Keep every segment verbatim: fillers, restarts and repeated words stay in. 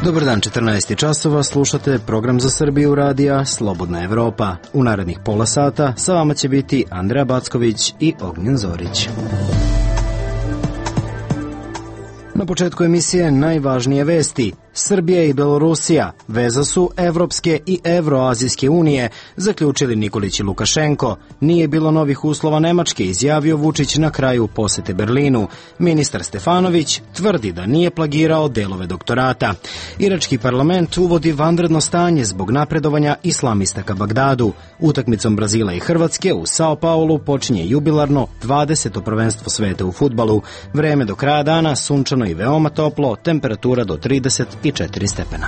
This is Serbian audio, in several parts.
Dobar dan, četrnaest časova, slušate program za Srbiju radija Slobodna Evropa. U narednih pola sata sa vama će biti Andreja Backović i Ognjen Zorić. Na početku emisije najvažnije vesti. Srbija i Belorusija, veza su Evropske i Evroazijske unije, zaključili Nikolić i Lukašenko. Nije bilo novih uslova Nemačke, izjavio Vučić na kraju posete Berlinu. Ministar Stefanović tvrdi da nije plagirao delove doktorata. Irački parlament uvodi vanredno stanje zbog napredovanja islamista ka Bagdadu. Utakmicom Brazila i Hrvatske u Sao Paulu počinje jubilarno dvadeseto prvenstvo sveta u fudbalu. Vreme do kraja dana sunčano i veoma toplo, temperatura do trideset četiri stepena.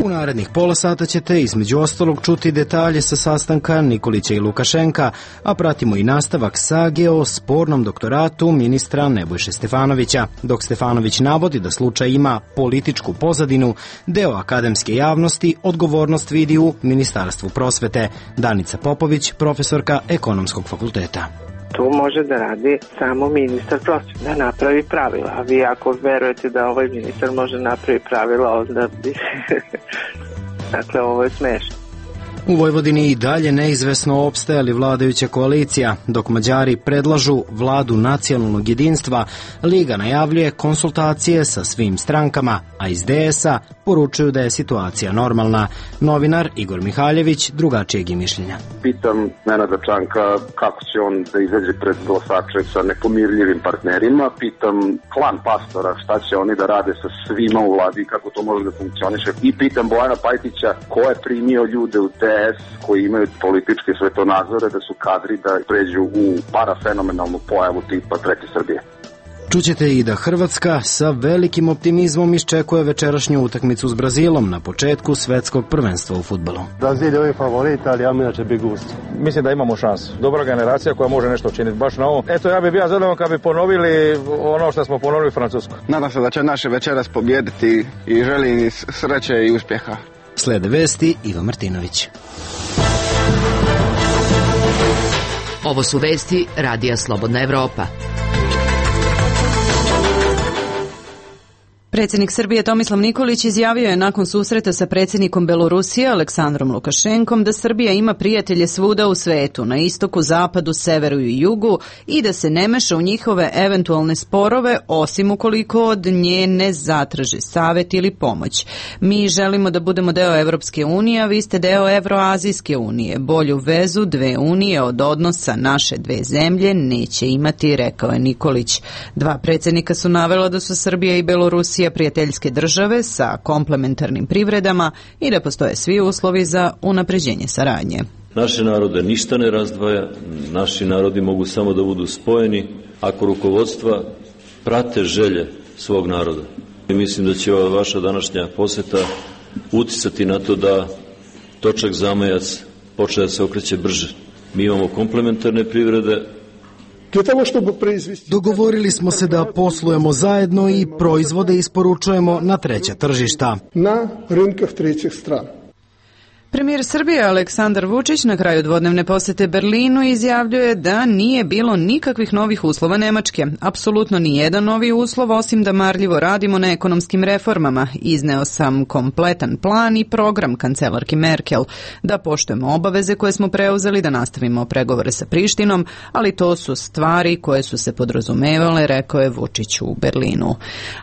U narednih pola sata ćete između ostalog čuti detalje sa sastanka Nikolića i Lukašenka, a pratimo i nastavak sage o spornom doktoratu ministra Nebojše Stefanovića. Dok Stefanović navodi da slučaj ima političku pozadinu, deo akademske javnosti odgovornost vidi u Ministarstvu prosvete. Danica Popović, profesorka Ekonomskog fakulteta. Tu može da radi samo ministar prosvete, da napravi pravila. A vi ako verujete da ovaj ministar može napravi pravila, onda bi... dakle, ovo je smešno. U Vojvodini i dalje neizvesno opstaje li vladajuća koalicija. Dok Mađari predlažu vladu nacionalnog jedinstva, Liga najavljuje konsultacije sa svim strankama, a iz D S A poručuju da je situacija normalna. Novinar Igor Mihaljević drugačijeg je mišljenja. Pitam Nenada Čanka kako će on da izađe pred glasače sa nepomirljivim partnerima. Pitam klan Pastora šta će oni da rade sa svima u vladi i kako to može da funkcioniše. I pitam Bojana Pajtića ko je primio ljude u D S koji imaju političke svetonazore da su kadri da pređu u parafenomenalnu pojavu tipa Treće Srbije. Čućete i da Hrvatska sa velikim optimizmom iščekuje večerašnju utakmicu s Brazilom na početku svetskog prvenstva u fudbalu. Brazil je favorit, ali ja inače bi gust. Mislim da imamo šansu. Dobra generacija koja može nešto učiniti baš na ovom. Eto, ja bih bio zadovoljan kad bi ponovili ono što smo ponovili u Francusku. Nadam se da će naše večeras pobijediti i želim im sreće i uspjeha. Slede vesti Iva Martinović. Ovo su vesti Radija Slobodna Evropa. Predsjednik Srbije Tomislav Nikolić izjavio je nakon susreta sa predsjednikom Belorusije Aleksandrom Lukašenkom da Srbija ima prijatelje svuda u svetu, na istoku, zapadu, severu i jugu i da se ne meša u njihove eventualne sporove osim ukoliko od nje ne zatraži savjet ili pomoć. Mi želimo da budemo deo Evropske unije, a vi ste deo Evroazijske unije. Bolju vezu dve unije od odnosa naše dve zemlje neće imati, rekao je Nikolić. Dva predsjednika su navela da su Srbija i Belorusija prijateljske države sa komplementarnim privredama i da postoje svi uslovi za unapređenje saradnje. Naše narode ništa ne razdvaja, naši narodi mogu samo da budu spojeni ako rukovodstva prate želje svog naroda. I mislim da će ova vaša današnja poseta uticati na to da točak zamajac počne da se okreće brže. Mi imamo komplementarne privrede. Dogovorili smo se da poslujemo zajedno i proizvode isporučujemo na treća tržišta. Na rinkah trećih strana. Premijer Srbije Aleksandar Vučić na kraju dvodnevne posete Berlinu izjavljuje da nije bilo nikakvih novih uslova Nemačke. Apsolutno ni jedan novi uslov osim da marljivo radimo na ekonomskim reformama. Izneo sam kompletan plan i program kancelarki Merkel. Da poštujemo obaveze koje smo preuzeli, da nastavimo pregovore sa Prištinom, ali to su stvari koje su se podrazumevale, rekao je Vučić u Berlinu.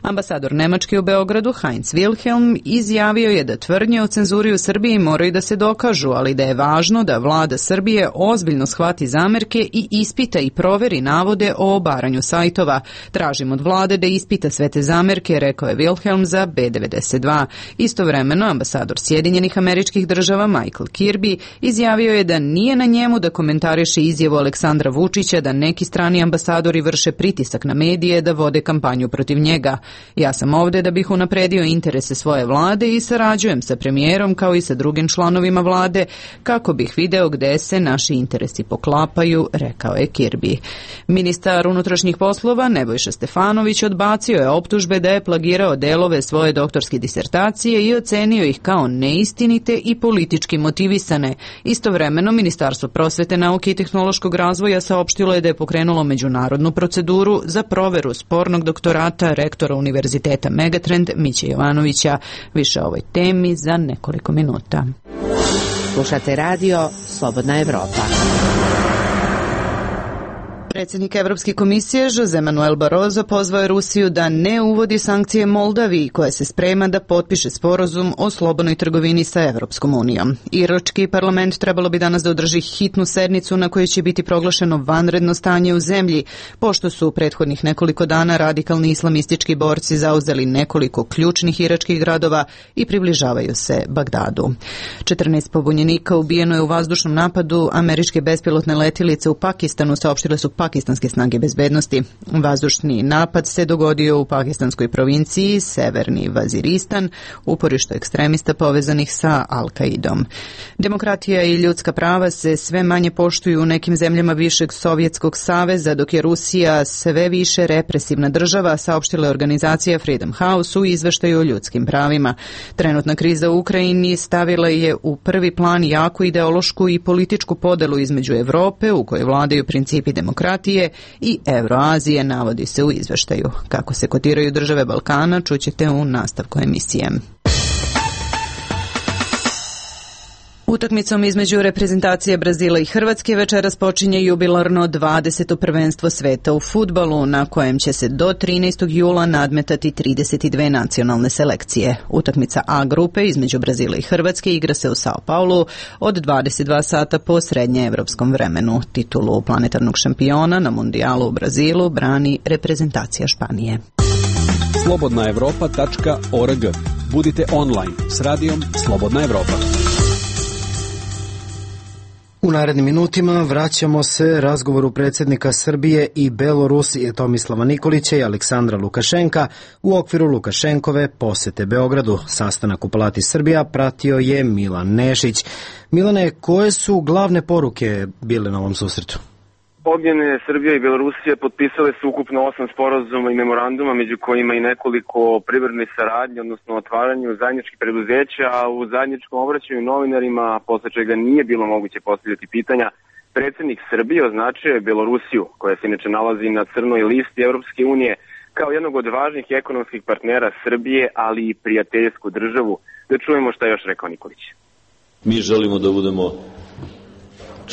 Ambasador Nemačke u Beogradu Heinz Wilhelm izjavio je da tvrdnje o cenzuri u Srbiji moraju da se dokažu, ali da je važno da vlada Srbije ozbiljno shvati zamerke i ispita i proveri navode o obaranju sajtova. Tražim od vlade da ispita sve te zamerke, rekao je Wilhelm za B devedeset dva. Istovremeno, ambasador Sjedinjenih Američkih Država Michael Kirby izjavio je da nije na njemu da komentariše izjavu Aleksandra Vučića da neki strani ambasadori vrše pritisak na medije da vode kampanju protiv njega. Ja sam ovde da bih unapredio interese svoje vlade i sarađujem sa premijerom kao i sa drugim članovima članovima vlade kako bih video gde se naši interesi poklapaju, rekao je Kirby. Ministar unutrašnjih poslova Nebojša Stefanović odbacio je optužbe da je plagirao delove svoje doktorske disertacije i ocenio ih kao neistinite i politički motivisane. Istovremeno, Ministarstvo prosvete, nauke i tehnološkog razvoja saopštilo je da je pokrenulo međunarodnu proceduru za proveru spornog doktorata rektora Univerziteta Megatrend Miće Jovanovića. Više o ovoj temi za nekoliko minuta. Slušate radio Slobodna Evropa. Predsjednik Evropske komisije Jose Manuel Barroso pozvao je Rusiju da ne uvodi sankcije Moldaviji, koja se sprema da potpiše sporazum o slobodnoj trgovini sa Evropskom unijom. Irački parlament trebalo bi danas da održi hitnu sednicu na kojoj će biti proglašeno vanredno stanje u zemlji, pošto su u prethodnih nekoliko dana radikalni islamistički borci zauzeli nekoliko ključnih iračkih gradova i približavaju se Bagdadu. četrnaest pobunjenika ubijeno je u vazdušnom napadu američke bespilotne letilice u Pakistanu, saopštile su pakistanske snage bezbednosti. Vazdušni napad se dogodio u pakistanskoj provinciji Severni Vaziristan, uporište ekstremista povezanih sa Al-Kaidom. Demokratija i ljudska prava se sve manje poštuju u nekim zemljama bivšeg Sovjetskog saveza, dok je Rusija sve više represivna država, saopštila je organizacija Freedom House u izveštaju o ljudskim pravima. Trenutna kriza u Ukrajini stavila je u prvi plan jaku ideološku i političku podelu između Evrope, u kojoj vladaju principi demokratije, i Evroazije, navodi se u izveštaju. Kako se kotiraju države Balkana, čućete u nastavku emisije. Utakmicom između reprezentacije Brazila i Hrvatske večeras počinje jubilarno dvadeseto prvenstvo sveta u fudbalu, na kojem će se do trinaestog jula nadmetati trideset dve nacionalne selekcije. Utakmica A grupe između Brazila i Hrvatske igra se u Sao Paulu od dvadeset dva sata po srednjeevropskom vremenu. Titulu planetarnog šampiona na mundijalu u Brazilu brani reprezentacija Španije. slobodna evropa tačka org. Budite online s radijom Slobodna Evropa. U narednim minutima vraćamo se razgovoru predsjednika Srbije i Belorusije Tomislava Nikolića i Aleksandra Lukašenka u okviru Lukašenkove posete Beogradu. Sastanak u Palati Srbija pratio je Milan Nešić. Milane, koje su glavne poruke bile na ovom susretu? Ognjene Srbija i Belorusija potpisale su ukupno osam sporazuma i memoranduma, među kojima i nekoliko privredne saradnje, odnosno otvaranju zajedničkih preduzeća, a u zajedničkom obraćanju novinarima, posle čega nije bilo moguće postavljati pitanja, predsjednik Srbije označio je Belorusiju, koja se inače nalazi na crnoj listi Evropske unije, kao jednog od važnih ekonomskih partnera Srbije, ali i prijateljsku državu. Da čujemo šta je još rekao Nikolić. Mi želimo da budemo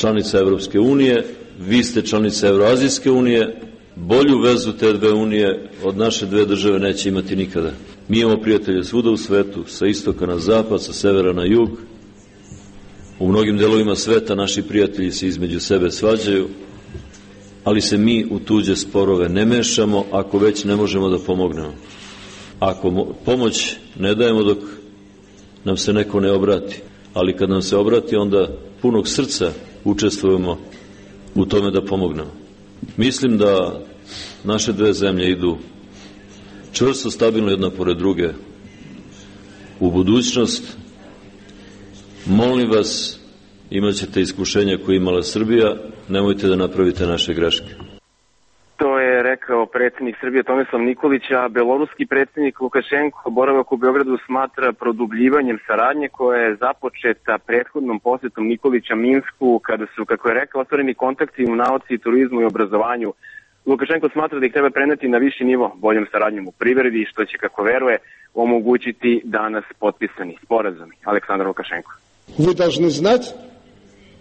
članica Evropske unije, vi ste članica Evroazijske unije, bolju vezu te dve unije od naše dve države neće imati nikada. Mi imamo prijatelje svuda u svetu, sa istoka na zapad, sa severa na jug. U mnogim delovima sveta naši prijatelji se između sebe svađaju, ali se mi u tuđe sporove ne mešamo ako već ne možemo da pomognemo. Ako pomoć ne dajemo dok nam se neko ne obrati, ali kad nam se obrati onda punog srca učestvujemo u tome da pomognemo. Mislim da naše dve zemlje idu čvrsto, stabilno jedna pored druge u budućnost. Molim vas, imat ćete iskušenja koje imala Srbija, nemojte da napravite naše greške. To je rekao predsjednik Srbije Tomislav Nikolić, a beloruski predsjednik Lukašenko boravak u Beogradu smatra produbljivanjem saradnje koja je započeta prethodnom posjetom Nikolića Minsku, kada su, kako je rekao, otvoreni kontakti u nauci, turizmu i obrazovanju. Lukašenko smatra da ih treba preneti na viši nivo boljom saradnjom u privredi, što će, kako veruje, omogućiti danas potpisani sporazumi. Aleksandar Lukašenko. Вы должны знать,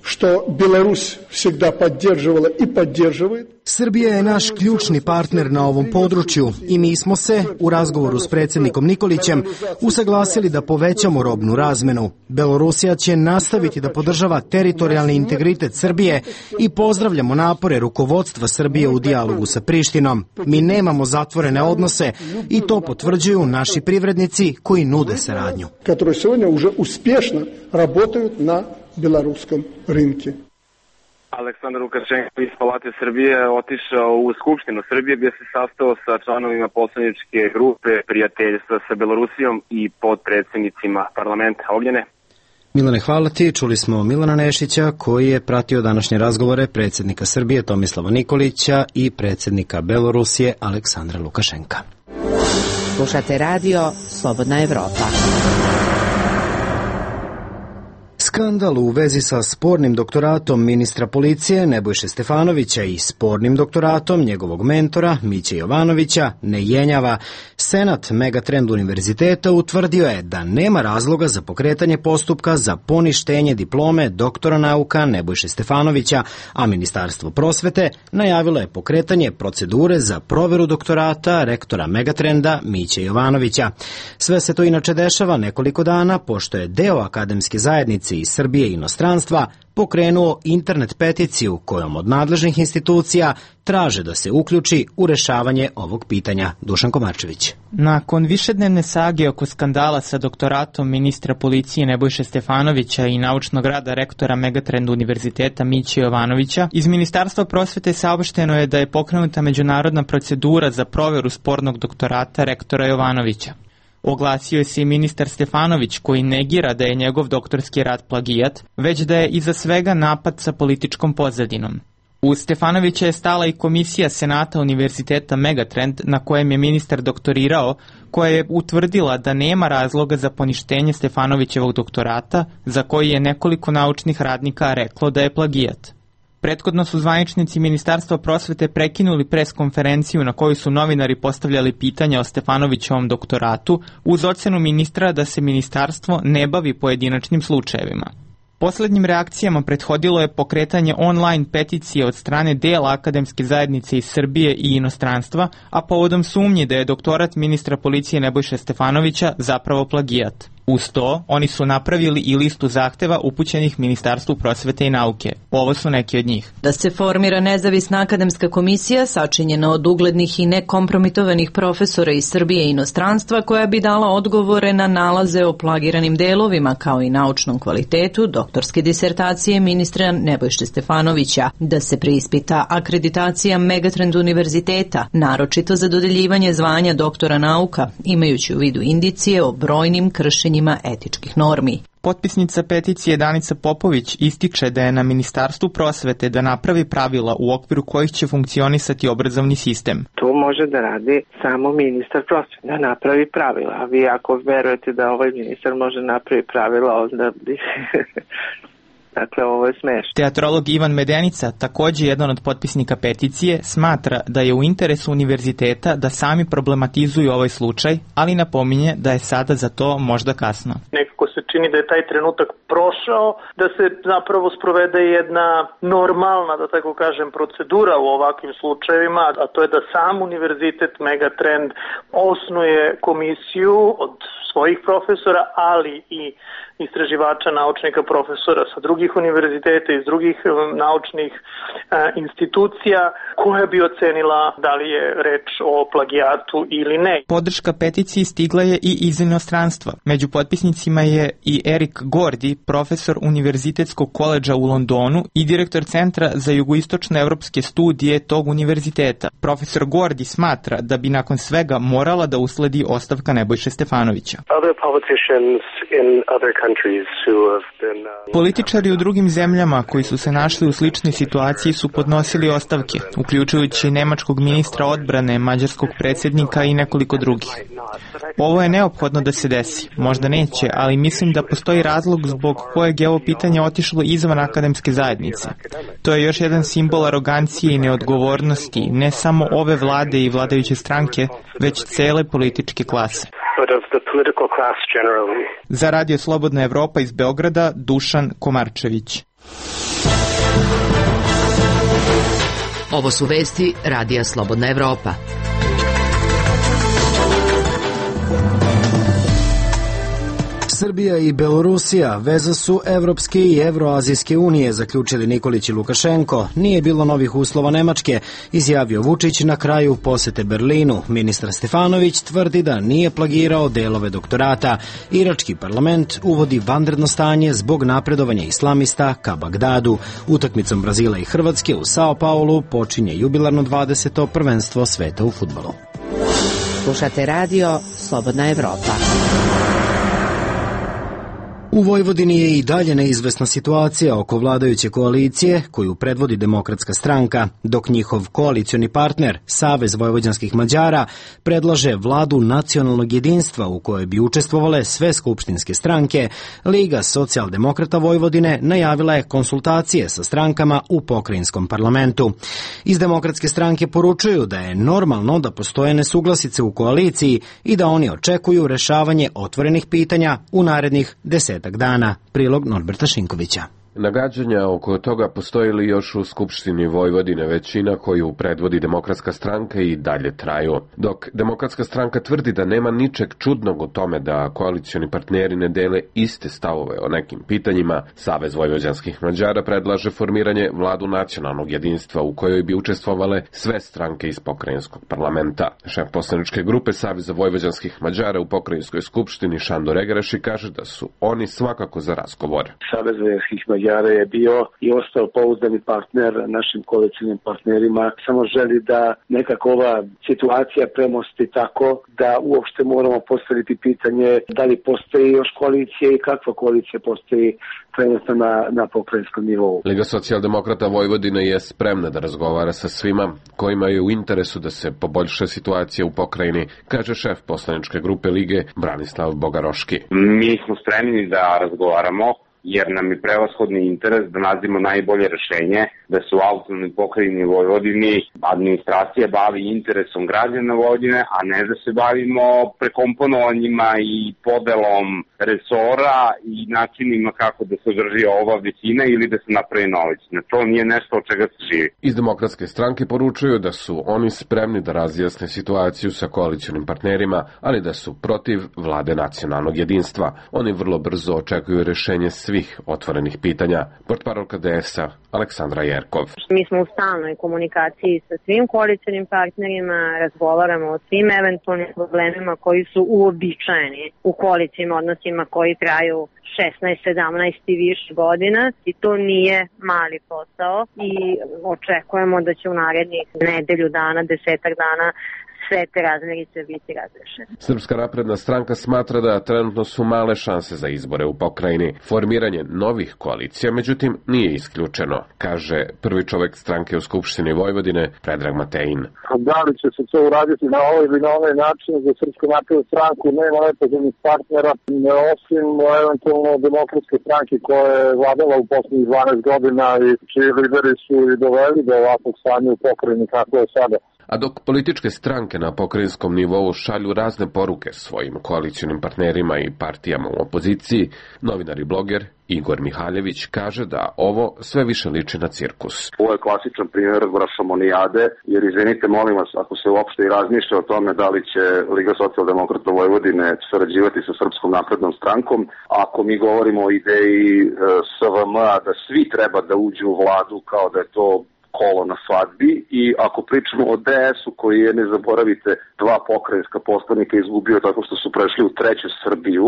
što Беларусь всегда поддерживала и поддерживает. Srbija je naš ključni partner na ovom području i mi smo se, u razgovoru s predsjednikom Nikolićem, usaglasili da povećamo robnu razmenu. Belorusija će nastaviti da podržava teritorijalni integritet Srbije i pozdravljamo napore rukovodstva Srbije u dijalogu sa Prištinom. Mi nemamo zatvorene odnose i to potvrđuju naši privrednici koji nude saradnju. Которые сегодня уже успешно работают на белорусском рынке. Aleksandar Lukašenko iz Palate Srbije otišao u Skupštinu Srbije gdje se sastao sa članovima poslaničke grupe prijateljstva sa Belorusijom i podpredsjednicima parlamenta. Ognjene? Milane, hvala ti. Čuli smo Milana Nešića koji je pratio današnje razgovore predsjednika Srbije Tomislava Nikolića i predsjednika Belorusije Aleksandra Lukašenka. Slušate radio Slobodna Evropa. Skandal u vezi sa spornim doktoratom ministra policije Nebojše Stefanovića i spornim doktoratom njegovog mentora Miće Jovanovića ne jenjava. Senat Megatrend univerziteta utvrdio je da nema razloga za pokretanje postupka za poništenje diplome doktora nauka Nebojše Stefanovića, a Ministarstvo prosvete najavilo je pokretanje procedure za proveru doktorata rektora Megatrenda Miće Jovanovića. Sve se to inače dešava nekoliko dana pošto je deo akademske zajednice iz Srbije i inostranstva pokrenuo internet peticiju kojom od nadležnih institucija traže da se uključi u rešavanje ovog pitanja. Dušan Komarčević. Nakon višednevne sage oko skandala sa doktoratom ministra policije Nebojše Stefanovića i naučnog rada rektora Megatrend univerziteta Miće Jovanovića, iz Ministarstva prosvete saopšteno je da je pokrenuta međunarodna procedura za proveru spornog doktorata rektora Jovanovića. Oglasio je se i ministar Stefanović koji negira da je njegov doktorski rad plagijat, već da je iza svega napad sa političkom pozadinom. Uz Stefanovića je stala i komisija Senata univerziteta Megatrend na kojem je ministar doktorirao, koja je utvrdila da nema razloga za poništenje Stefanovićevog doktorata, za koji je nekoliko naučnih radnika reklo da je plagijat. Prethodno su zvaničnici Ministarstva prosvete prekinuli pres konferenciju na kojoj su novinari postavljali pitanja o Stefanovićevom doktoratu uz ocenu ministra da se ministarstvo ne bavi pojedinačnim slučajevima. Poslednjim reakcijama prethodilo je pokretanje online peticije od strane dela akademske zajednice iz Srbije i inostranstva, a povodom sumnji da je doktorat ministra policije Nebojše Stefanovića zapravo plagijat. Uz to, oni su napravili i listu zahteva upućenih Ministarstvu prosvete i nauke. Ovo su neki od njih. Da se formira nezavisna akademska komisija sačinjena od uglednih i nekompromitovanih profesora iz Srbije i inostranstva koja bi dala odgovore na nalaze o plagiranim delovima kao i naučnom kvalitetu doktorske disertacije ministra Nebojše Stefanovića. Da se preispita akreditacija Megatrend univerziteta, naročito za dodeljivanje zvanja doktora nauka, imajući u vidu indicije o brojnim kršenjima etičkih normi. Potpisnica peticije Danica Popović ističe da je na Ministarstvu prosvete da napravi pravila u okviru kojih će funkcionisati obrazovni sistem. To može da radi samo ministar prosvete, da napravi pravila. A vi ako verujete da ovaj ministar može napravi pravila, onda bi... Dakle, ovo je smešno. Teatrolog Ivan Medenica, također jedan od potpisnika peticije, smatra da je u interesu univerziteta da sami problematizuju ovaj slučaj, ali napominje da je sada za to možda kasno. Nekako se čini da je taj trenutak prošao, da se zapravo sprovede jedna normalna, da tako kažem, procedura u ovakvim slučajevima, a to je da sam univerzitet Megatrend osnuje komisiju od svojih profesora, ali i istraživača, naučnika, profesora sa drugih univerziteta, iz drugih naučnih e, institucija, koja bi ocenila da li je reč o plagijatu ili ne. Podrška peticiji stigla je i iz inostranstva. Među potpisnicima je i Erik Gordi, profesor Univerzitetskog koledža u Londonu i direktor Centra za jugoistočne evropske studije tog univerziteta. Profesor Gordi smatra da bi nakon svega morala da usledi ostavka Nebojše Stefanovića. Političari u drugim zemljama koji su se našli u sličnoj situaciji su podnosili ostavke, uključujući nemačkog ministra odbrane, mađarskog predsjednika i nekoliko drugih. Ovo je neophodno da se desi, možda neće, ali mislim da postoji razlog zbog kojeg je ovo pitanje otišlo izvan akademske zajednice. To je još jedan simbol arogancije i neodgovornosti, ne samo ove vlade i vladajuće stranke, već cele političke klase. Za Radio Slobodna Evropa iz Beograda, Dušan Komarčević. Ovo su vesti Radija Slobodna Evropa. Srbija i Belorusija veza su Evropske i Evroazijske unije, zaključili Nikolić i Lukašenko. Nije bilo novih uslova Nemačke, izjavio Vučić na kraju posete Berlinu. Ministar Stefanović tvrdi da nije plagirao delove doktorata. Irački parlament uvodi vanredno stanje zbog napredovanja islamista ka Bagdadu. Utakmicom Brazila i Hrvatske u Sao Paulu počinje jubilarno dvadeseto prvenstvo sveta u fudbalu. Slušate radio Slobodna Evropa. U Vojvodini je i dalje neizvesna situacija oko vladajuće koalicije koju predvodi Demokratska stranka, dok njihov koalicioni partner, Savez vojvođanskih Mađara, predlaže vladu nacionalnog jedinstva u kojoj bi učestvovale sve skupštinske stranke. Liga socijaldemokrata Vojvodine najavila je konsultacije sa strankama u pokrajinskom parlamentu. Iz Demokratske stranke poručuju da je normalno da postoje nesuglasice u koaliciji i da oni očekuju rešavanje otvorenih pitanja u narednih desetak dana. Prilog Norberta Šinkovića. Nagađanja oko toga postoji li još u Skupštini Vojvodine, većina koju predvodi Demokratska stranka i dalje traju. Dok Demokratska stranka tvrdi da nema ničeg čudnog u tome da koalicioni partneri ne dele iste stavove o nekim pitanjima, Savez vojvođanskih Mađara predlaže formiranje vladu nacionalnog jedinstva u kojoj bi učestvovale sve stranke iz pokrajinskog parlamenta. Šef poslaničke grupe Saveza vojvođanskih Mađara u pokrajinskoj skupštini Šandor Egereši kaže da su oni svakako za razgovor. Savez vojvođanskih Mađara je bio i ostao pouzdani partner našim koalicijnim partnerima. Samo želi da nekako ova situacija premosti tako da uopšte moramo postaviti pitanje da li postoji još koalicija i kakva koalicija postoji trenutno na, na pokrajinskom nivou. Liga socijaldemokrata Vojvodine je spremna da razgovara sa svima kojima je u interesu da se poboljša situacija u pokrajini, kaže šef poslaničke grupe Lige Branislav Bogaroški. Mi smo spremni da razgovaramo, jer nam je prevashodni interes da nađemo najbolje rešenje, da se u autonomnoj pokrajini Vojvodini administracija bavi interesom građana Vojvodine, a ne da se bavimo prekomponovanjima i podelom resora i načinima kako da se održi ova većina ili da se napravi nović. To nije nešto od čega se živi. Iz Demokratske stranke poručuju da su oni spremni da razjasne situaciju sa koalicionim partnerima, ali da su protiv vlade nacionalnog jedinstva. Oni vrlo brzo očekuju rešenje svih otvorenih pitanja. Portparolka D S A Aleksandra Jerkov. Mi smo u stalnoj komunikaciji sa svim koalicionim partnerima, razgovaramo o svim eventualnim problemima koji su uobičajeni u koalicijim odnosima koji traju šesnaest, sedamnaest i više godina i to nije mali posao i očekujemo da će u narednih nedelju dana, desetak dana sve te razmerice biti razrešene. Srpska napredna stranka smatra da trenutno su male šanse za izbore u pokrajini. Formiranje novih koalicija, međutim, nije isključeno, kaže prvi čovek stranke u Skupštini Vojvodine, Predrag Matejin. Da li će se to uraditi na ovaj ili na ovaj način za Srpsku naprednu stranku, nema nepoznatih partnera, osim eventualno Demokratske stranke koja je vladala u poslednjih dvanaest godina i čiji lideri su i doveli do ovakvog stanja u pokrajini kako je sada. A dok političke stranke na pokrajinskom nivou šalju razne poruke svojim koalicionim partnerima i partijama u opoziciji, novinar i bloger Igor Mihaljević kaže da ovo sve više liči na cirkus. Ovo je klasičan primjer brašomonijade, jer izvinite molim vas, ako se uopšte i razmišlja o tome da li će Liga socijaldemokrata Vojvodine sarađivati sa Srpskom naprednom strankom, ako mi govorimo o ideji e, S V M-a da svi treba da uđu u vladu kao da je to kolo na svadbi, i ako pričamo o D S-u koji je, ne zaboravite, dva pokrajinska poslanika izgubio tako što su prešli u treću Srbiju,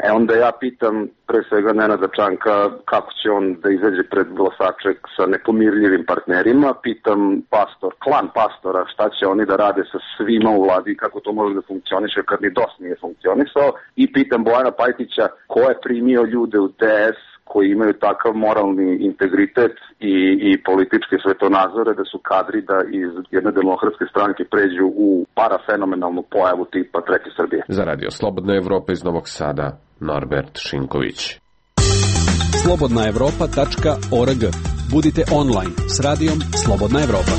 e onda ja pitam pre svega Nenada Čanka kako će on da izađe pred glasače sa nepomirljivim partnerima, pitam pastor, klan pastora, šta će oni da rade sa svima u vladi, kako to može da funkcioniše kad ni D O S nije funkcionisao, i pitam Bojana Pajtića ko je primio ljude u D S koji imaju takav moralni integritet i, i političke svetonazore da su kadri da iz jedne demokratske stranke pređu u parafenomenalnu pojavu tipa Treće Srbije. Za Radio Slobodna Evropa iz Novog Sada, Norbert Šinković. slobodna evropa tačka org. Budite online s radijom Slobodna Evropa.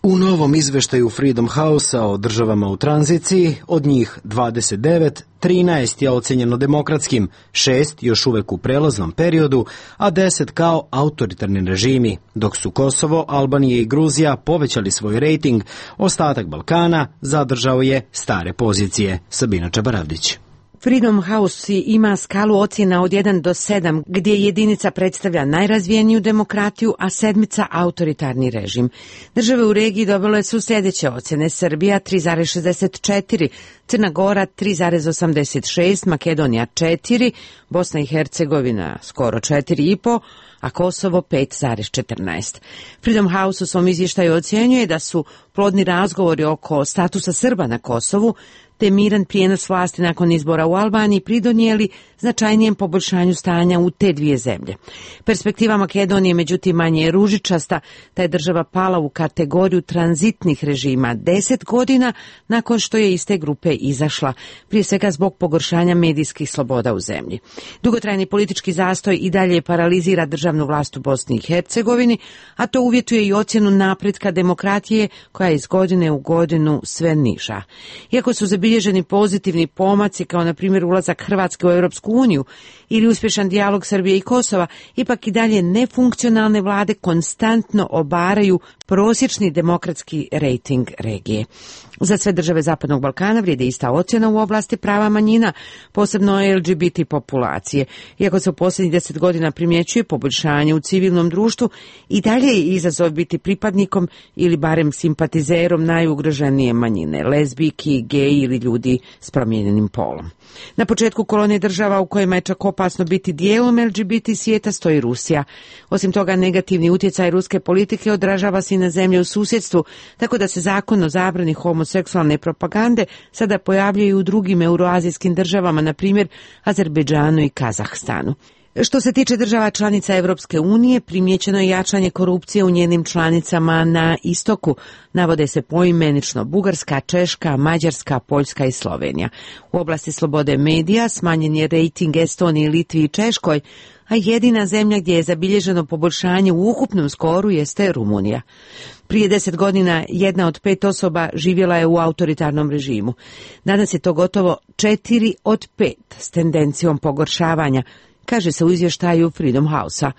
U novom izveštaju Freedom House-a o državama u tranziciji, od njih dvadeset devet, trinaest je ocenjeno demokratskim, šest još uvek u prelaznom periodu, a deset kao autoritarni režimi, dok su Kosovo, Albanija i Gruzija povećali svoj rejting, ostatak Balkana zadržao je stare pozicije. Sabina Čabaravdić. Freedom House ima skalu ocjena od jedan do sedam, gdje jedinica predstavlja najrazvijeniju demokratiju, a sedmica autoritarni režim. Države u regiji dobile su sljedeće ocjene: Srbija tri zarez šezdeset četiri, Crna Gora tri zarez osamdeset šest, Makedonija četiri, Bosna i Hercegovina skoro četiri i po, a Kosovo pet zarez četrnaest. Freedom House u svom izvještaju ocjenjuje da su plodni razgovori oko statusa Srba na Kosovu te miran prijenos vlasti nakon izbora u Albaniji pridonijeli značajnijem poboljšanju stanja u te dvije zemlje. Perspektiva Makedonije međutim manje je ružičasta, ta je država pala u kategoriju tranzitnih režima deset godina nakon što je iz te grupe izašla, prije svega zbog pogoršanja medijskih sloboda u zemlji. Dugotrajni politički zastoj i dalje paralizira državnu vlast u Bosni i Hercegovini, a to uvjetuje i ocjenu napretka demokratije koja je iz godine u godinu sve niža. Iako su zabilježeni pozitivni pomaci kao na primjer ulazak Hrvatske u Europsku uniju ili uspješan dijalog Srbije i Kosova, ipak i dalje nefunkcionalne vlade konstantno obaraju prosječni demokratski rejting regije. Za sve države Zapadnog Balkana vrijedi ista ocjena u oblasti prava manjina, posebno L G B T populacije. Iako se u posljednjih deset godina primjećuje poboljšanje u civilnom društvu, i dalje je izazov biti pripadnikom ili barem simpatizerom najugroženije manjine, lezbijki, geji ili ljudi s promijenjenim polom. Na početku kolonije država u kojima je čak opasno biti dijelom L G B T svijeta stoji Rusija. Osim toga, negativni utjecaj ruske politike odražava se i na zemlje u susjedstvu, tako da se zakon o zabrani homoseksualne propagande sada pojavljuje i u drugim euroazijskim državama, na primjer Azerbejdžanu i Kazahstanu. Što se tiče država članica Europske unije, primijećeno je jačanje korupcije u njenim članicama na istoku. Navode se poimenično Bugarska, Češka, Mađarska, Poljska i Slovenija. U oblasti slobode medija smanjen je rejting Estoniji, Litvi i Češkoj, a jedina zemlja gdje je zabilježeno poboljšanje u ukupnom skoru jeste Rumunija. Prije deset godina jedna od pet osoba živjela je u autoritarnom režimu. Danas je to gotovo četiri od pet s tendencijom pogoršavanja, kaže se u izvještaju Freedom House-a.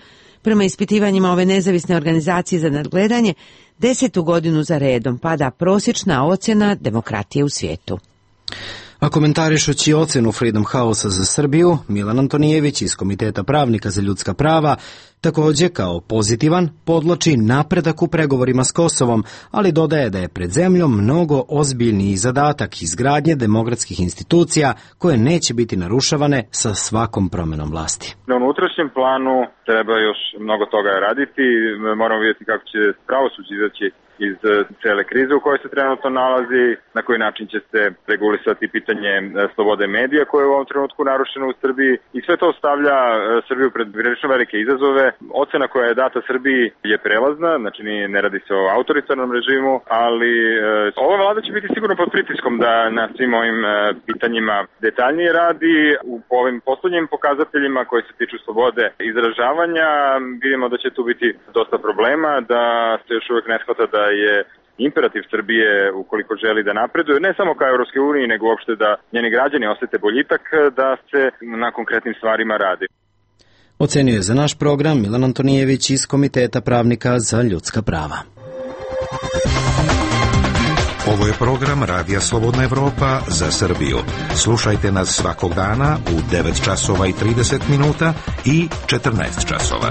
Prema ispitivanjima ove nezavisne organizacije za nadgledanje, desetu godinu za redom pada prosječna ocjena demokratije u svijetu. A komentarišući ocjenu Freedom House-a za Srbiju, Milan Antonijević iz Komiteta pravnika za ljudska prava također kao pozitivan podloči napredak u pregovorima s Kosovom, ali dodaje da je pred zemljom mnogo ozbiljniji zadatak izgradnje demokratskih institucija koje neće biti narušavane sa svakom promjenom vlasti. Na unutrašnjem planu treba još mnogo toga raditi, moramo vidjeti kako će pravosuđe izaći iz cele krize u kojoj se trenutno nalazi, na koji način će se regulisati pitanje slobode medija koje je u ovom trenutku narušeno u Srbiji i sve to stavlja Srbiju pred prilično velike izazove. Ocena koja je data Srbiji je prelazna, znači ne radi se o autoritarnom režimu, ali e, ova vlada će biti sigurno pod pritiskom da na svim ovim e, pitanjima detaljnije radi. U ovim poslednjim pokazateljima koji se tiču slobode izražavanja vidimo da će tu biti dosta problema, da se još uvijek ne shvata da je imperativ Srbije, ukoliko želi da napreduje, ne samo ka Europskoj uniji, nego uopšte da njeni građani osjete boljitak, da se na konkretnim stvarima radi. Ocenio je za naš program Milan Antonijević iz Komiteta pravnika za ljudska prava. Ovo je program Radija Slobodna Evropa za Srbiju. Slušajte nas svakog dana u devet časova i trideset minuta i četrnaest časova.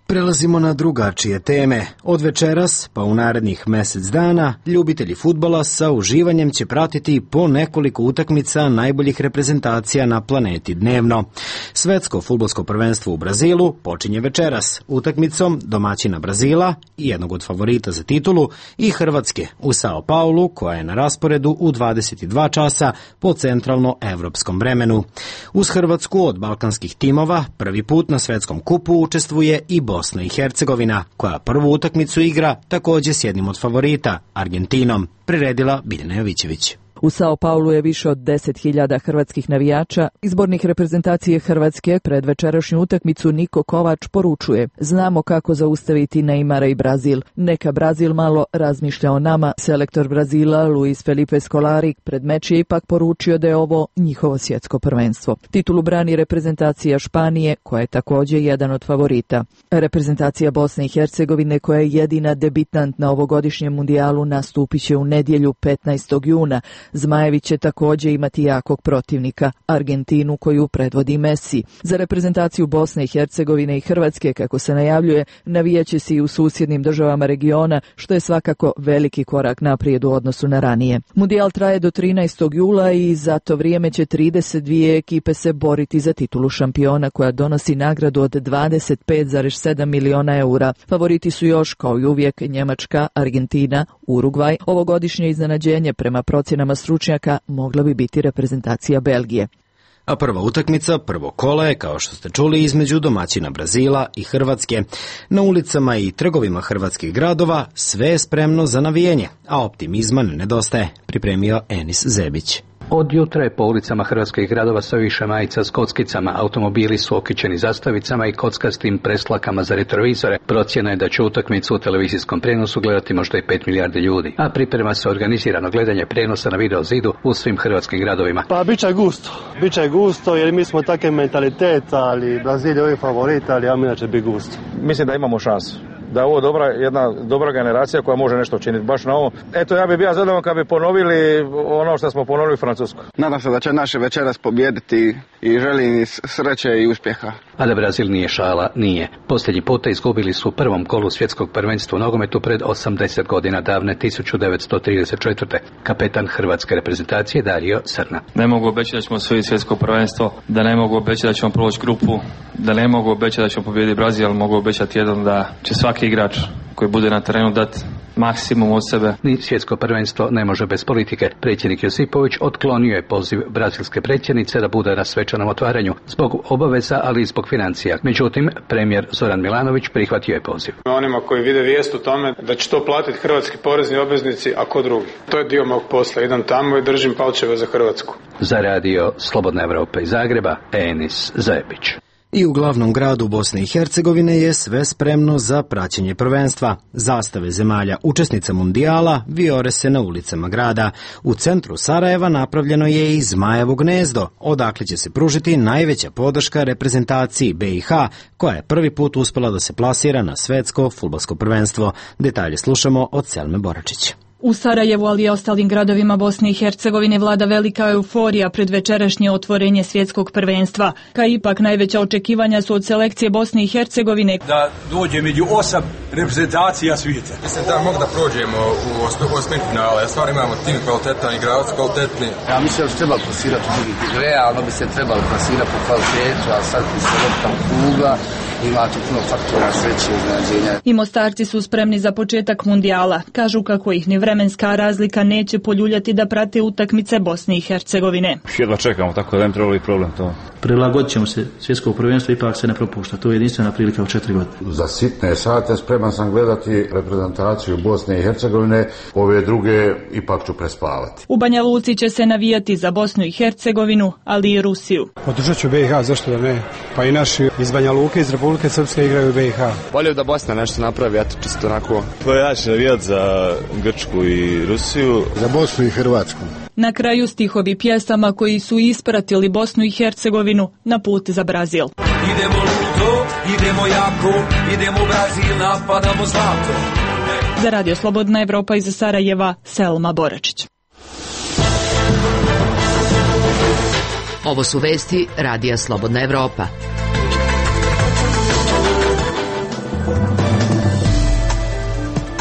Prelazimo na drugačije teme. Od večeras, pa u narednih mjesec dana, ljubitelji fudbala sa uživanjem će pratiti po nekoliko utakmica najboljih reprezentacija na planeti dnevno. Svetsko fudbalsko prvenstvo u Brazilu počinje večeras utakmicom domaćina Brazila i jednog od favorita za titulu i Hrvatske u Sao Paulu, koja je na rasporedu u dvadeset dva časa po centralno evropskom vremenu. Uz Hrvatsku od balkanskih timova prvi put na svetskom kupu učestvuje i Bosna i Hercegovina, koja prvu utakmicu igra također s jednim od favorita, Argentinom, priredila Biljana Jovićević. U Sao Paulu je više od deset hiljada hrvatskih navijača. Izbornik reprezentacije Hrvatske pred večerašnju utakmicu Niko Kovač poručuje: znamo kako zaustaviti Neymara i Brazil. Neka Brazil malo razmišlja o nama. Selektor Brazila Luis Felipe Scolari pred meč je ipak poručio da je ovo njihovo svjetsko prvenstvo. Titulu brani reprezentacija Španije, koja je također jedan od favorita. Reprezentacija Bosne i Hercegovine, koja je jedina debitant na ovogodišnjem mundijalu, nastupit će u nedjelju petnaestog juna. Zmajevi će također imati jakog protivnika, Argentinu koju predvodi Messi. Za reprezentaciju Bosne i Hercegovine i Hrvatske, kako se najavljuje, navijaće se i u susjednim državama regiona, što je svakako veliki korak naprijed u odnosu na ranije. Mundijal traje do trinaestog jula i za to vrijeme će trideset dvije ekipe se boriti za titulu šampiona koja donosi nagradu od dvadeset pet zarez sedam miliona eura. Favoriti su još, kao i uvijek, Njemačka, Argentina, Urugvaj. Ovogodišnje iznenađenje prema procjenama stručnjaka mogla bi biti reprezentacija Belgije. A prva utakmica, prvo kola je, kao što ste čuli, između domaćina Brazila i Hrvatske. Na ulicama i trgovima hrvatskih gradova sve je spremno za navijanje, a optimizma ne nedostaje, pripremio Enis Zebić. Od jutra je po ulicama hrvatskih gradova sve više majica s kockicama, automobili su okićeni zastavicama i kockastim preslakama za retrovizore. Procjena je da će utakmicu u televizijskom prijenosu gledati možda i pet milijardi ljudi, a priprema se organizirano gledanje prijenosa na video zidu u svim hrvatskim gradovima. Pa bit će gusto, bit će gusto jer mi smo takav mentalitet, ali Brazil je uvijek favorit, ali ja mi da će biti gusto. Mislim da imamo šansu. Da je ovo dobra, jedna dobra generacija koja može nešto učiniti baš na ovom. Eto, ja bih bio zadovoljan kad bi ponovili ono što smo ponovili u Francusku. Nadam se da će naše večeras pobijediti i želim im sreće i uspjeha. A da Brazil nije šala, nije. Posljednji puta izgubili su u prvom kolu svjetskog prvenstva u nogometu pred osamdeset godina davne tisuću devetsto trideset četvrte. Kapetan hrvatske reprezentacije Dario Srna. Ne mogu obećati da ćemo osvojiti svjetsko prvenstvo, da ne mogu obećati da ćemo proći grupu, da ne mogu obećati da ćemo pobijediti Brazil, ali mogu obećati jedan da će svaki igrač koji bude na terenu dati maksimum od sebe. Ni svjetsko prvenstvo ne može bez politike. Predsjednik Josipović otklonio je poziv brazilske predsjednice da bude na svečanom otvaranju zbog obaveza, ali i zbog financija. Međutim, premijer Zoran Milanović prihvatio je poziv. Onima koji vide vijest u tome da će to platiti hrvatski porezni obveznici, a ko drugi. To je dio mog posla. Idem tamo i držim palčeve za Hrvatsku. Za radio Slobodna Evropa iz Zagreba, Enis Zebić. I u glavnom gradu Bosne i Hercegovine je sve spremno za praćenje prvenstva. Zastave zemalja učesnica mundijala vijore se na ulicama grada. U centru Sarajeva napravljeno je i Zmajevo gnezdo, odakle će se pružiti najveća podrška reprezentaciji B i H, koja je prvi put uspela da se plasira na svetsko fudbalsko prvenstvo. Detalje slušamo od Selme Boračića. U Sarajevu, ali i ostalim gradovima Bosne i Hercegovine vlada velika euforija pred večerašnje otvorenje svjetskog prvenstva. Ka ipak najveća očekivanja su od selekcije Bosne i Hercegovine da dođe među osam reprezentacija svijeta. Mislim da mogu da prođemo u osmini finale. Stvarno imamo tim kvalitetan, igravac kvalitetni. Ja mislim da se treba plasirati u drugi. Realno bi se trebalo plasirati po kvalitetu, a sad bi se lopta kugla. Ima tu puno faktora sreće i iznenađenja. I Mostarci su spremni za početak mundijala. Kažu kako ih ni vremenska razlika neće poljuljati da prate utakmice Bosne i Hercegovine. Jedva čekamo, tako da ne trebalo i problem to. Prilagodit ćemo se, svjetsko prvenstvo ipak se ne propušta. To je jedinstvena prilika u četiri godine. Za sitne sate spreman sam gledati reprezentaciju Bosne i Hercegovine, ove druge ipak ću prespavati. U Banja Luci će se navijati za Bosnu i Hercegovinu, ali i Rusiju. Podržat ću B i H, zašto da ne? Pa i naši iz Banja Luke, iz Republike Srpske igraju B i H. Volio da Bosna nešto napravi, ja to čisto onako. To ja ću navijati za Grčku i Rusiju. Za Bosnu i Hrvatsku. Na kraju stihovi pjesama koji su ispratili Bosnu i Hercegovinu na put za Brazil. Idemo ludo, idemo jako, idemo Brazil, napadamo zlato. Za radio Slobodna Evropa iz Sarajeva, Selma Boračić. Ovo su vesti radija Slobodna Evropa.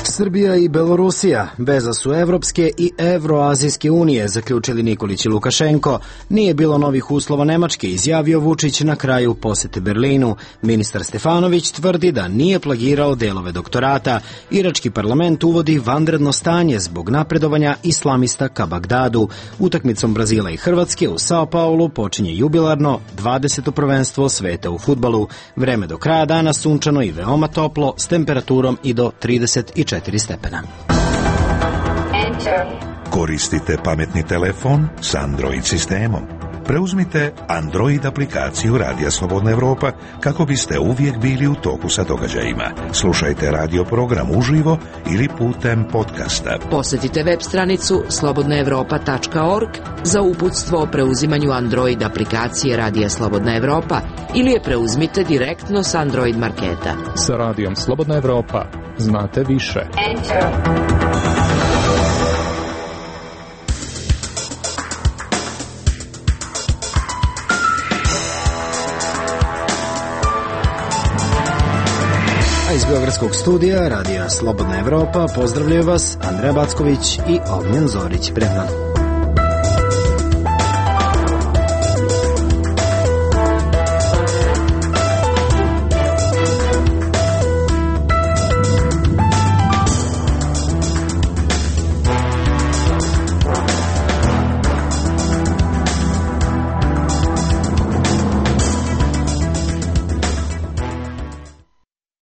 Srbija i Belorusija, veza su Evropske i Evroazijske unije, zaključili Nikolić i Lukašenko. Nije bilo novih uslova Nemačke, izjavio Vučić na kraju posete Berlinu. Ministar Stefanović tvrdi da nije plagirao delove doktorata. Irački parlament uvodi vanredno stanje zbog napredovanja islamista ka Bagdadu. Utakmicom Brazila i Hrvatske u Sao Paulu počinje jubilarno dvadeseto prvenstvo sveta u fudbalu. Vreme do kraja dana sunčano i veoma toplo s temperaturom i do trideset četiri stepena. Koristite pametni telefon s Android sistemom. Preuzmite Android aplikaciju Radija Slobodna Evropa kako biste uvijek bili u toku sa događajima. Slušajte radio program uživo ili putem podcasta. Posjetite web stranicu slobodna evropa tačka org za uputstvo o preuzimanju Android aplikacije Radija Slobodna Evropa ili je preuzmite direktno s Android marketa. Sa Radijom Slobodna Evropa znate više. A iz Beogradskog studija Radija Slobodna Evropa pozdravljaju vas Andreja Backović i Ognjen Zorić Bregman.